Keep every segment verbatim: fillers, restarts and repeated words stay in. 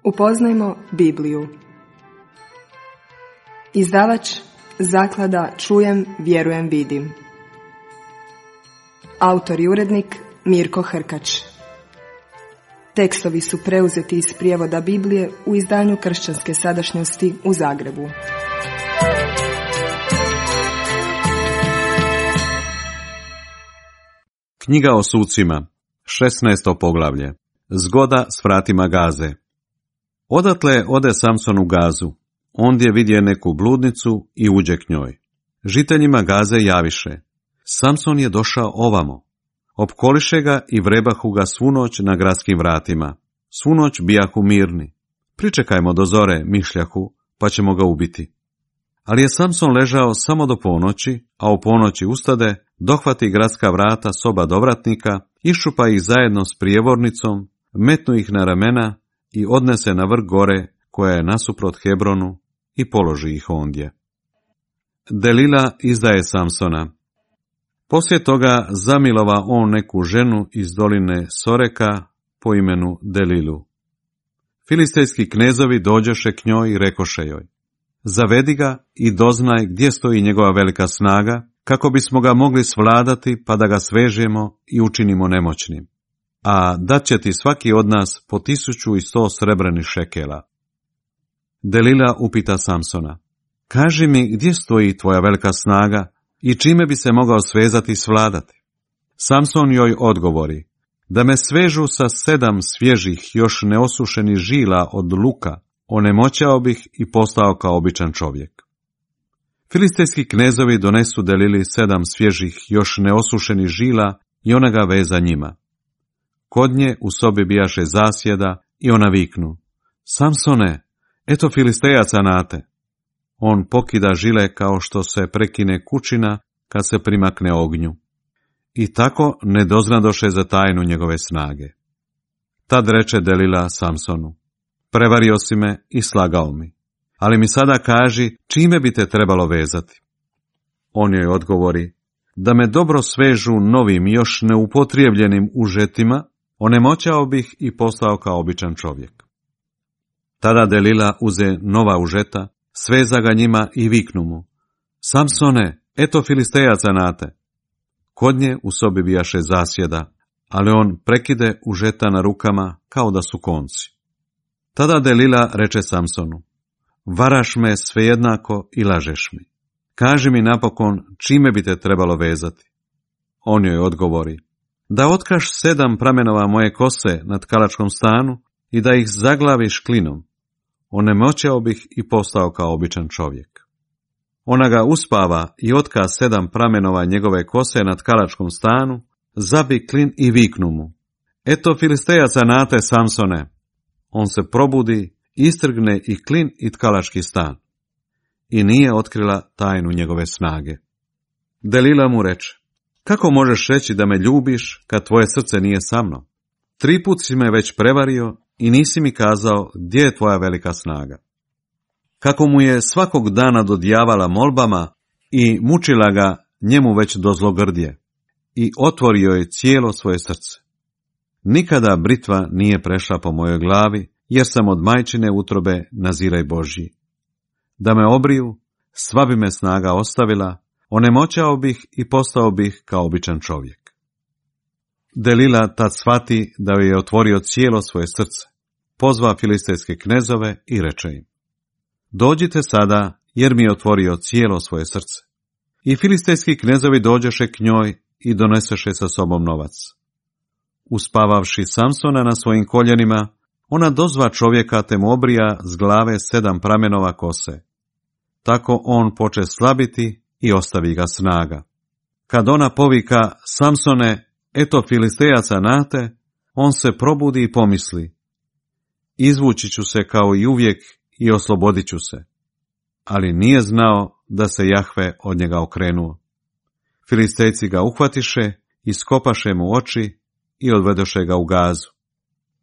Upoznajmo Bibliju. Izdavač Zaklada Čujem, vjerujem, vidim. Autor i urednik Mirko Hrkač. Tekstovi su preuzeti iz prijevoda Biblije u izdanju Kršćanske sadašnjosti u Zagrebu. Knjiga o sucima, šesnaesto poglavlje. Zgoda s vratima Gaze. Odatle ode Samson u Gazu. Ondje vidje neku bludnicu i uđe k njoj. Žiteljima Gaze javiše: Samson je došao ovamo. Opkoliše ga i vrebahu ga svu noć na gradskim vratima. Svu noć bijahu mirni. Pričekajmo do zore, mišljahu, pa ćemo ga ubiti. Ali je Samson ležao samo do ponoći, a u ponoći ustade, dohvati gradska vrata soba dovratnika, iščupa ih zajedno s prijevornicom, metnu ih na ramena i odnese na vrh gore koja je nasuprot Hebronu i položi ih ondje. Delila izdaje Samsona. Poslije toga zamilova on neku ženu iz doline Soreka po imenu Delilu. Filistejski knezovi dođoše k njoj i rekoše joj: Zavedi ga i doznaj gdje stoji njegova velika snaga, kako bismo ga mogli svladati pa da ga svežemo i učinimo nemoćnim. A dat će ti svaki od nas po tisuću i sto srebrnih šekela. Delila upita Samsona: Kaži mi gdje stoji tvoja velika snaga i čime bi se mogao svezati i svladati? Samson joj odgovori: Da me svežu sa sedam svježih još neosušenih žila od luka, onemoćao bih i postao kao običan čovjek. Filistejski knezovi donesu Delili sedam svježih još neosušenih žila i ona ga veza njima. Kod nje u sobi bijaše zasjeda i ona viknu: Samsone, eto Filistejaca nate. On pokida žile kao što se prekine kućina kad se primakne ognju. I tako ne doznadoše za tajnu njegove snage. Tad reče Delila Samsonu: Prevario si me i slagao mi, ali mi sada kaži čime bi te trebalo vezati. On joj odgovori: Da me dobro svežu novim još neupotrijebljenim užetima, onemoćao bih i postao kao običan čovjek. Tada Delila uze nova užeta, sveza ga njima i viknu mu: Samsone, eto Filistejaca nate. Kod nje u sobi bijaše zasjeda, ali on prekide užeta na rukama kao da su konci. Tada Delila reče Samsonu: Varaš me svejednako i lažeš mi. Kaži mi napokon čime bi te trebalo vezati. On joj odgovori: Da otkaš sedam pramenova moje kose na tkalačkom stanu i da ih zaglaviš klinom. Onemoćao bih i postao kao običan čovjek. Ona ga uspava i otka sedam pramenova njegove kose na tkalačkom stanu, zabi klin i viknu mu: Eto Filistejaca nate, Samsone. On se probudi, istrgne i klin i tkalački stan. I nije otkrila tajnu njegove snage. Delila mu reče: Kako možeš reći da me ljubiš kad tvoje srce nije sa mnom? Tri put si me već prevario i nisi mi kazao gdje je tvoja velika snaga. Kako mu je svakog dana dodijavala molbama i mučila ga njemu već do zlogrdje i otvorio je cijelo svoje srce. Nikada britva nije prešla po mojoj glavi, jer sam od majčine utrobe naziraj Božji. Da me obriju, sva bi me snaga ostavila, onemoćao bih i postao bih kao običan čovjek. Delila tad shvati da joj je otvorio cijelo svoje srce, pozva filistejske knezove i reče im: Dođite sada, jer mi je otvorio cijelo svoje srce. I filistejski knezovi dođeše k njoj i doneseše sa sobom novac. Uspavavši Samsona na svojim koljenima, ona dozva čovjeka te mu obrija s glave sedam pramenova kose. Tako on poče slabiti i ostavi ga snaga. Kad ona povika: Samsone, eto Filistejaca nate, on se probudi i pomisli: Izvući ću se kao i uvijek i oslobodit ću se. Ali nije znao da se Jahve od njega okrenuo. Filistejci ga uhvatiše, iskopaše mu oči i odvedoše ga u Gazu.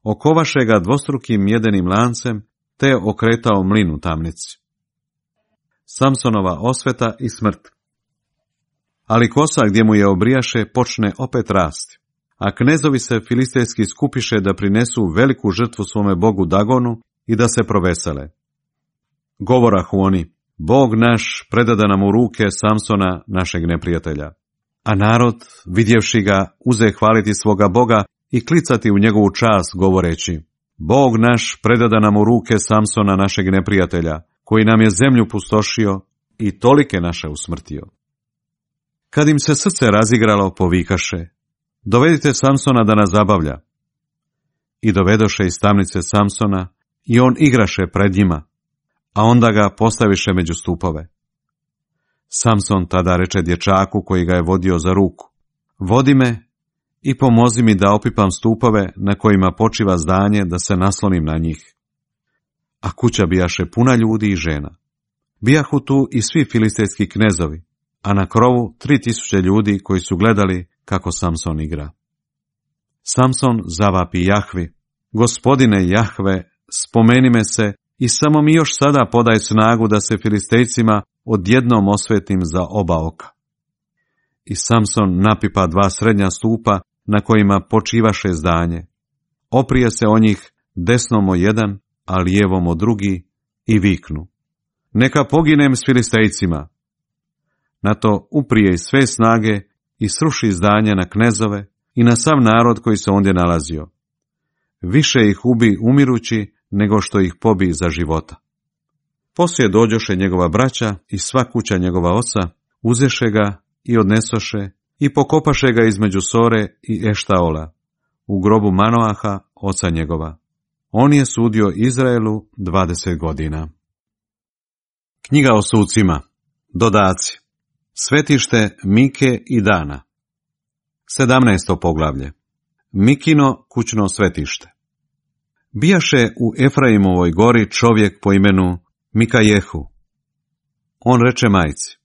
Okovaše ga dvostrukim jedenim lancem, te je okretao mlin u tamnici. Samsonova osveta i smrt. Ali kosa gdje mu je obrijaše počne opet rasti, a knezovi se filistejski skupiše da prinesu veliku žrtvu svome bogu Dagonu i da se provesele. Govorahu oni, Bog naš predada nam u ruke Samsona, našeg neprijatelja. A narod, vidjevši ga, uze hvaliti svoga Boga i klicati u njegovu čast, govoreći, Bog naš predada nam u ruke Samsona, našeg neprijatelja, koji nam je zemlju pustošio i tolike naše usmrtio. Kad im se srce razigralo, povikaše, dovedite Samsona da nas zabavlja. I dovedoše iz tamnice Samsona i on igraše pred njima, a onda ga postaviše među stupove. Samson tada reče dječaku koji ga je vodio za ruku, vodi me i pomozi mi da opipam stupove na kojima počiva zdanje, da se naslonim na njih. A kuća bijaše puna ljudi i žena. Bijahu tu i svi filistejski knezovi, a na krovu tri tisuće ljudi koji su gledali kako Samson igra. Samson zavapi Jahvi, Gospodine Jahve, spomeni me se i samo mi još sada podaj snagu da se Filistejcima odjednom osvetim za oba oka. I Samson napipa dva srednja stupa na kojima počivaše zdanje. Oprije se o njih desnom o jedan, a lijevom o drugi i viknu, neka poginem s Filistejcima. Na to uprije sve snage i sruši zdanje na knezove i na sav narod koji se ondje nalazio. Više ih ubi umirući nego što ih pobi za života. Poslije dođoše njegova braća i sva kuća njegova oca, uzeše ga i odnesoše i pokopaše ga između Sore i Eštaola, u grobu Manoaha, oca njegova. On je sudio Izraelu dvadeset godina. Knjiga o sucima. Dodaci. Svetište Mike i Dana. sedamnaesto poglavlje. Mikino kućno svetište. Bijaše u Efraimovoj gori čovjek po imenu Mikajehu. On reče majci,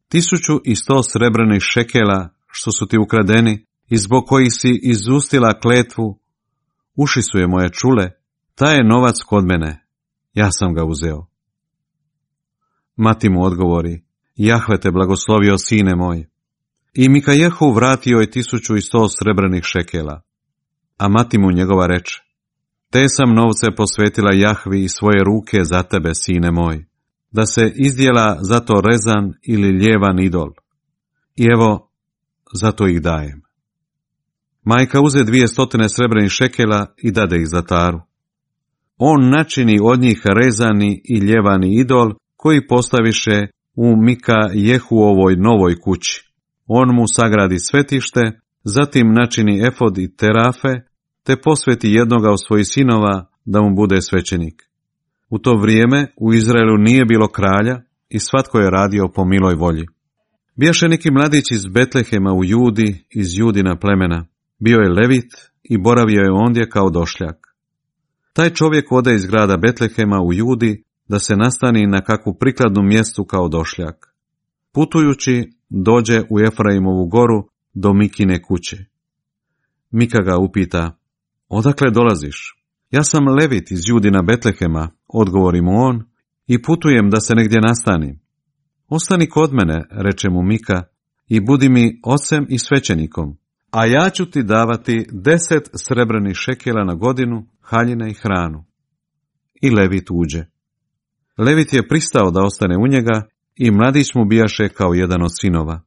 tisuću i sto srebrnih šekela što su ti ukradeni i zbog kojih si izustila kletvu, uši su je moje čule, taj je novac kod mene, ja sam ga uzeo. Mati mu odgovori, Jahve te blagoslovio, sine moj. I Mikajehu vratio je tisuću i sto srebrnih šekela. A mati mu njegova reče, te sam novce posvetila Jahvi i svoje ruke za tebe, sine moj, da se izdjela zato rezan ili ljevan idol. I evo, zato ih dajem. Majka uze dvije stotine srebrnih šekela i dade ih zlataru. On načini od njih rezani i ljevani idol, koji postaviše u Mikajehuovoj novoj kući. On mu sagradi svetište, zatim načini efod i terafe, te posveti jednoga od svojih sinova da mu bude svećenik. U to vrijeme u Izraelu nije bilo kralja i svatko je radio po miloj volji. Bijaše neki mladić iz Betlehema u Judi, iz Judina plemena. Bio je levit i boravio je ondje kao došljak. Taj čovjek ode iz grada Betlehema u Judi da se nastani na kakvu prikladnu mjestu kao došljak. Putujući, dođe u Efraimovu goru do Mikine kuće. Mika ga upita, odakle dolaziš? Ja sam levit iz Judina Betlehema, odgovori mu on, i putujem da se negdje nastanim. Ostani kod mene, reče mu Mika, i budi mi ocem i svećenikom, a ja ću ti davati deset srebrnih šekela na godinu, haljine i hranu. I levit uđe. Levit je pristao da ostane u njega i mladić mu bijaše kao jedan od sinova.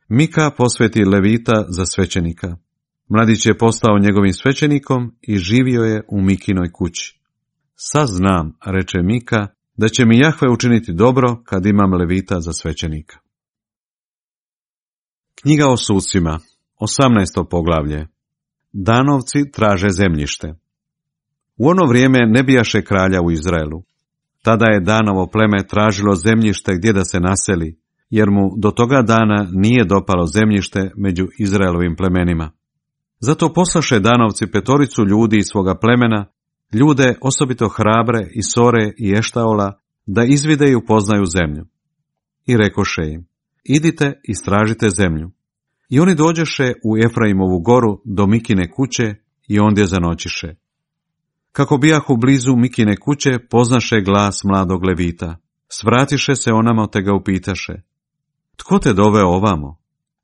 Mika posveti levita za svećenika. Mladić je postao njegovim svećenikom i živio je u Mikinoj kući. Sad znam, reče Mika, da će mi Jahve učiniti dobro kad imam levita za svećenika. Knjiga o sucima, osamnaesto poglavlje. Danovci traže zemljište. U ono vrijeme ne bijaše kralja u Izraelu. Tada je Danovo pleme tražilo zemljište gdje da se naseli, jer mu do toga dana nije dopalo zemljište među Izraelovim plemenima. Zato poslaše Danovci petoricu ljudi iz svoga plemena, ljude osobito hrabre i Sore i Eštaola, da izvide i upoznaju zemlju. I rekoše im, idite i stražite zemlju. I oni dođeše u Efraimovu goru do Mikine kuće i ondje zanoćiše. Kako bijahu blizu Mikine kuće, poznaše glas mladog levita. Svratiše se onamo te ga upitaše. Tko te doveo ovamo?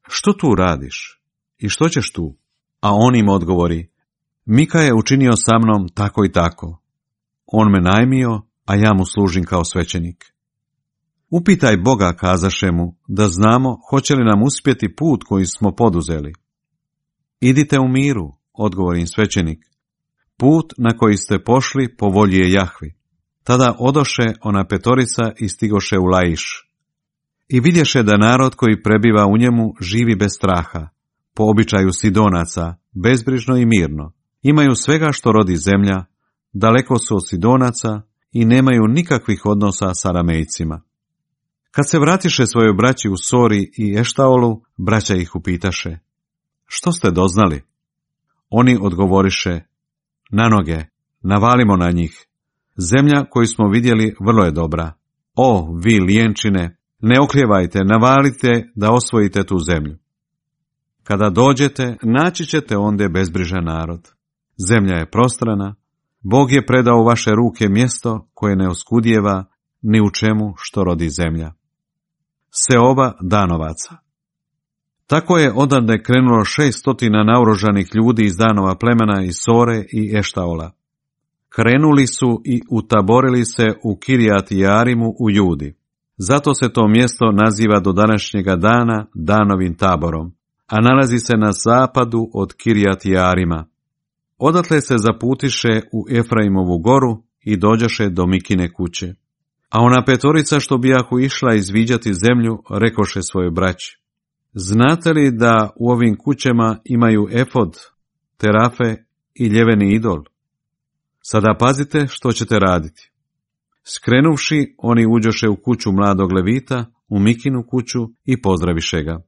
Što tu radiš? I što ćeš tu? A on im odgovori, Mika je učinio sa mnom tako i tako. on me najmio, a ja mu služim kao svećenik. Upitaj Boga, kazaše mu, da znamo hoće li nam uspjeti put koji smo poduzeli. Idite u miru, odgovori im svećenik. Put na koji ste pošli po volji je Jahvi. Tada odoše ona petorica i stigoše u Laiš. I vidješe da narod koji prebiva u njemu živi bez straha, po običaju Sidonaca, bezbrižno i mirno. Imaju svega što rodi zemlja, daleko su od Sidonaca i nemaju nikakvih odnosa sa Aramejcima. Kad se vratiše svojoj braći u Sori i Eštaolu, braća ih upitaše: što ste doznali? Oni odgovoriše: na noge, navalimo na njih. Zemlja koju smo vidjeli vrlo je dobra. O, vi lijenčine, ne oklijevajte, navalite da osvojite tu zemlju. Kada dođete, naći ćete ondje bezbrižan narod. Zemlja je prostrana, Bog je predao u vaše ruke mjesto koje ne oskudijeva ni u čemu što rodi zemlja. Seoba Danovaca. Tako je odande krenulo šest stotina naoružanih ljudi iz Danova plemena iz Sore i Eštaola. Krenuli su i utaborili se u Kirijat Jearimu u Judi. Zato se to mjesto naziva do današnjega dana Danovim taborom, a nalazi se na zapadu od Kirijat Jearima. Odatle se zaputiše u Efraimovu goru i dođaše do Mikine kuće. A ona petorica što bijahu išla izviđati zemlju, rekoše svojoj braći: znate li da u ovim kućama imaju efod, terafe i ljeveni idol? Sada pazite što ćete raditi. Skrenuvši, oni uđoše u kuću mladog Levita, u Mikinu kuću i pozdraviše ga.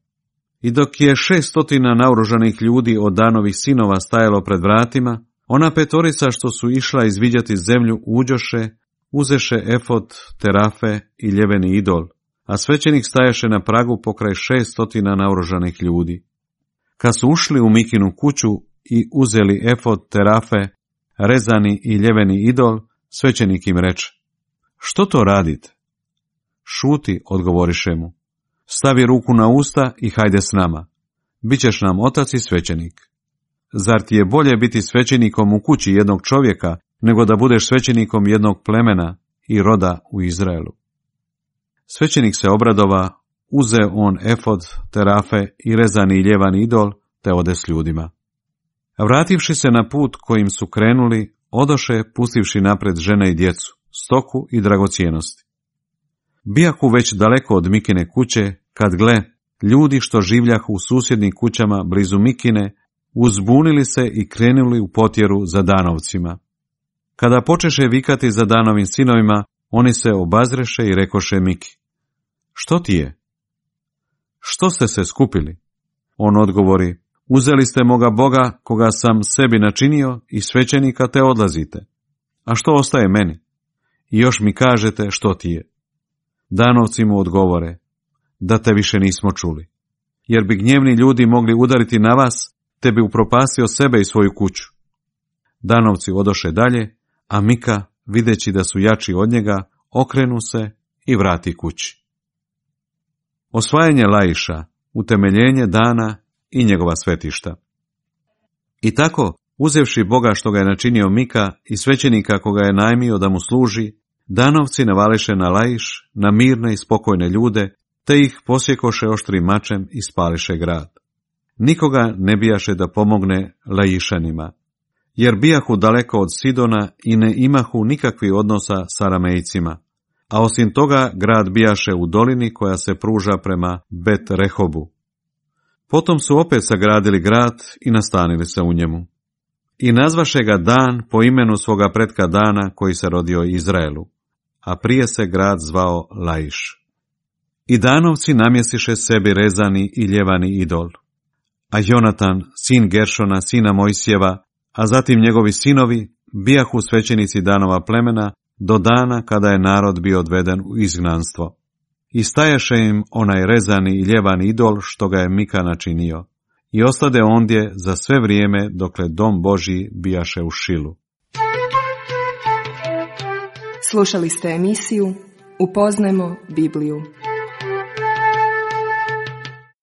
I dok je šest stotina naoružanih ljudi od Danovih sinova stajalo pred vratima, ona petorica što su išla izviđati zemlju uđoše, uzeše efod, terafe i ljeveni idol, a svećenik stajaše na pragu pokraj šest stotina naoružanih ljudi. Kad su ušli u Mikinu kuću i uzeli efod, terafe, rezani i ljeveni idol, svećenik im reče: što to radite? Šuti, odgovoriše mu. Stavi ruku na usta i hajde s nama. Bićeš nam otac i svećenik. Zar ti je bolje biti svećenikom u kući jednog čovjeka, nego da budeš svećenikom jednog plemena i roda u Izraelu? Svećenik se obradova, uze on efod, terafe i rezani i ljevani idol, te ode s ljudima. Vrativši se na put kojim su krenuli, odoše pustivši napred žene i djecu, stoku i dragocijenosti. Bijahu već daleko od Mikine kuće, kad gle, ljudi što življahu u susjednim kućama blizu Mikine, uzbunili se i krenuli u potjeru za Danovcima. Kada počeše vikati za Danovim sinovima, oni se obazreše i rekoše Miki: što ti je? Što ste se skupili? On odgovori: uzeli ste moga Boga, koga sam sebi načinio, i svećenika, te odlazite. A što ostaje meni? I još mi kažete što ti je. Danovci mu odgovore: da te više nismo čuli, jer bi gnjevni ljudi mogli udariti na vas, te bi upropastio sebe i svoju kuću. Danovci odoše dalje, a Mika, videći da su jači od njega, okrenu se i vrati kući. Osvajanje Laiša, utemeljenje Dana i njegova svetišta. I tako, uzevši Boga što ga je načinio Mika i svećenika koga je najmio da mu služi, Danovci navališe na Laiš, na mirne i spokojne ljude, te ih posjekoše oštrim mačem i spališe grad. Nikoga ne bijaše da pomogne Laišanima, jer bijahu daleko od Sidona i ne imahu nikakvih odnosa s Aramejcima, a osim toga grad bijaše u dolini koja se pruža prema Bet Rehobu. Potom su opet sagradili grad i nastanili se u njemu. I nazvaše ga Dan po imenu svoga pretka Dana koji se rodio Izraelu, a prije se grad zvao Laiš. I Danovci namjestiše sebi rezani i ljevani idol. A Jonatan, sin Geršona, sina Mojsijeva, a zatim njegovi sinovi, bijahu svećenici Danova plemena do dana kada je narod bio odveden u izgnanstvo. I stajaše im onaj rezani i ljevani idol što ga je Mika načinio, i ostade ondje za sve vrijeme dokle dom Božji bijaše u Šilu. Slušali ste emisiju Upoznajmo Bibliju.